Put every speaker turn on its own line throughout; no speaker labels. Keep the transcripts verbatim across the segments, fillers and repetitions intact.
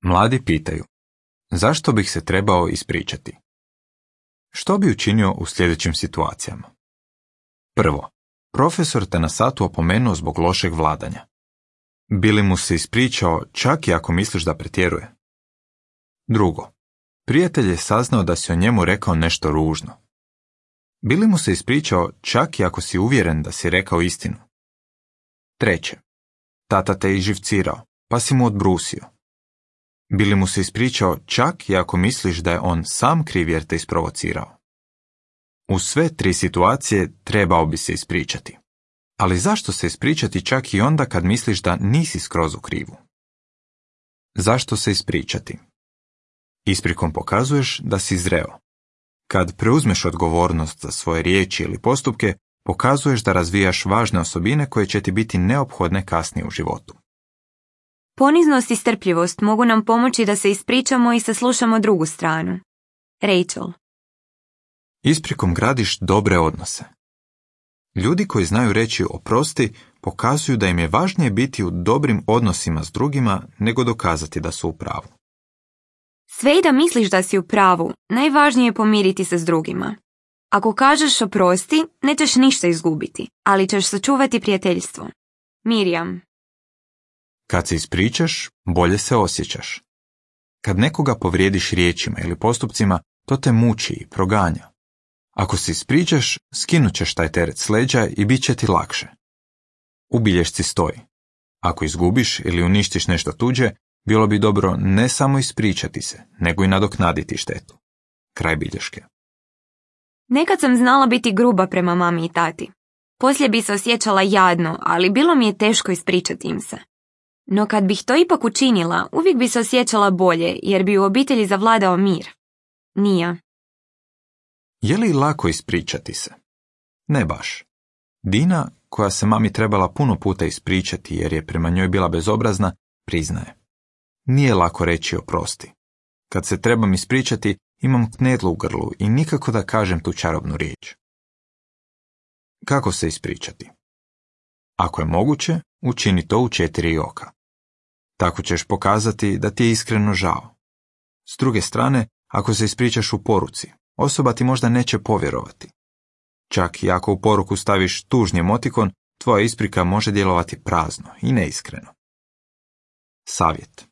Mladi pitaju, zašto bih se trebao ispričati? Što bi učinio u sljedećim situacijama? Prvo, profesor te na satu opomenuo zbog lošeg vladanja. Bi li mu se ispričao čak i ako misliš da pretjeruje? Drugo, prijatelj je saznao da si o njemu rekao nešto ružno. Bi li mu se ispričao čak i ako si uvjeren da si rekao istinu? Treće, tata te izživcirao, pa si mu odbrusio. Bi li mu se ispričao čak i ako misliš da je on sam kriv jer te isprovocirao? U sve tri situacije trebao bi se ispričati. Ali zašto se ispričati čak i onda kad misliš da nisi skroz u krivu? Zašto se ispričati? Isprikom pokazuješ da si zreo. Kad preuzmeš odgovornost za svoje riječi ili postupke, pokazuješ da razvijaš važne osobine koje će ti biti neophodne kasnije u životu.
Poniznost i strpljivost mogu nam pomoći da se ispričamo i saslušamo drugu stranu. Rachel.
Isprikom gradiš dobre odnose. Ljudi koji znaju reći oprosti pokazuju da im je važnije biti u dobrim odnosima s drugima nego dokazati da su u pravu.
Sve i da misliš da si u pravu, najvažnije je pomiriti se s drugima. Ako kažeš oprosti, nećeš ništa izgubiti, ali ćeš sačuvati prijateljstvo. Mirjam.
Kad se ispričaš, bolje se osjećaš. Kad nekoga povrijediš riječima ili postupcima, to te muči i proganja. Ako se ispričaš, skinut ćeš taj teret s leđa i bit će ti lakše. U bilješci stoji. Ako izgubiš ili uništiš nešto tuđe, bilo bi dobro ne samo ispričati se, nego i nadoknaditi štetu. Kraj bilješke.
Nekad sam znala biti gruba prema mami i tati. Poslije bi se osjećala jadno, ali bilo mi je teško ispričati im se. No kad bih to ipak učinila, uvijek bi se osjećala bolje, jer bi u obitelji zavladao mir. Nija.
Je li lako ispričati se? Ne baš. Dina, koja se mami trebala puno puta ispričati jer je prema njoj bila bezobrazna, priznaje. Nije lako reći oprosti. Kad se trebam ispričati, imam knedlu u grlu i nikako da kažem tu čarobnu riječ. Kako se ispričati? Ako je moguće, učini to u četiri oka. Tako ćeš pokazati da ti je iskreno žao. S druge strane, ako se ispričaš u poruci, osoba ti možda neće povjerovati. Čak i ako u poruku staviš tužni emotikon, tvoja isprika može djelovati prazno i neiskreno. Savjet.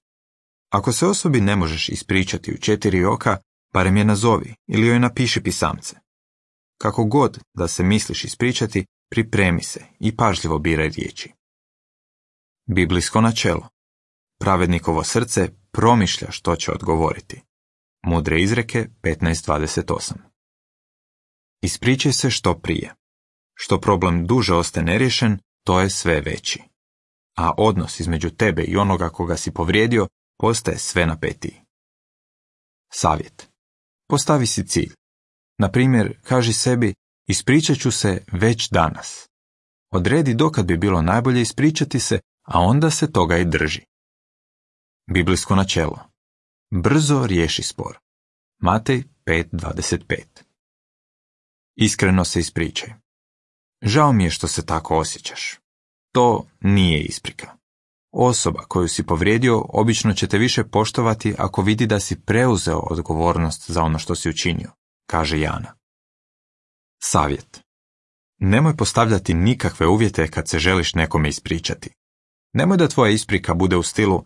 Ako se osobi ne možeš ispričati u četiri oka, barem je nazovi ili joj napiši pisamce. Kako god da se misliš ispričati, pripremi se i pažljivo biraj riječi. Biblijsko načelo. Pravednikovo srce promišlja što će odgovoriti. Mudre izreke petnaest dvadeset osam. Ispričaj se što prije. Što problem duže ostaje neriješen, to je sve veći. A odnos između tebe i onoga koga si povrijedio postaje sve napetiji. Savjet. Postavi si cilj. Na primjer, kaži sebi, ispričat ću se već danas. Odredi dokad bi bilo najbolje ispričati se, a onda se toga i drži. Biblijsko načelo. Brzo riješi spor. Matej pet dvadeset pet. Iskreno se ispričaj. Žao mi je što se tako osjećaš. To nije isprika. Osoba koju si povrijedio obično će te više poštovati ako vidi da si preuzeo odgovornost za ono što si učinio, kaže Jana. Savjet. Nemoj postavljati nikakve uvjete kad se želiš nekome ispričati. Nemoj da tvoja isprika bude u stilu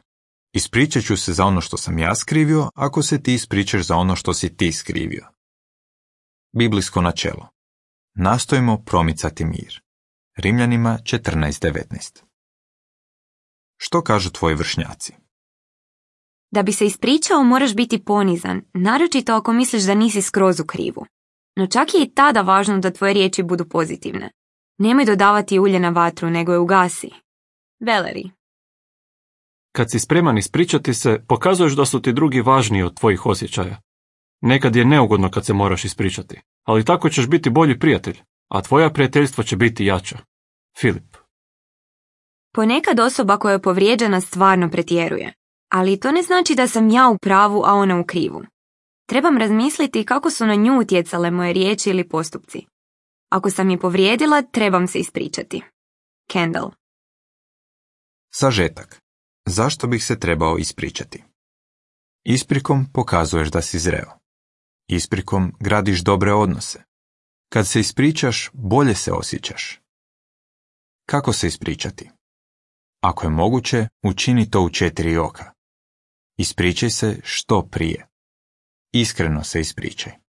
ispričat ću se za ono što sam ja skrivio ako se ti ispričaš za ono što si ti skrivio. Biblijsko načelo. Nastojimo promicati mir. Rimljanima četrnaest devetnaest. Što kažu tvoji vršnjaci?
Da bi se ispričao moraš biti ponizan, naročito ako misliš da nisi skroz u krivu. No čak je i tada važno da tvoje riječi budu pozitivne. Nemoj dodavati ulje na vatru, nego je ugasi. Valerie.
Kad si spreman ispričati se, pokazuješ da su ti drugi važniji od tvojih osjećaja. Nekad je neugodno kad se moraš ispričati, ali tako ćeš biti bolji prijatelj, a tvoja prijateljstva će biti jača. Filip.
Ponekad osoba koja je povrijeđena stvarno pretjeruje, ali to ne znači da sam ja u pravu, a ona u krivu. Trebam razmisliti kako su na nju utjecale moje riječi ili postupci. Ako sam je povrijedila, trebam se ispričati. Kendall.
Sažetak. Zašto bih se trebao ispričati? Isprikom pokazuješ da si zreo. Isprikom gradiš dobre odnose. Kad se ispričaš, bolje se osjećaš. Kako se ispričati? Ako je moguće, učini to u četiri oka. Ispričaj se što prije. Iskreno se ispričaj.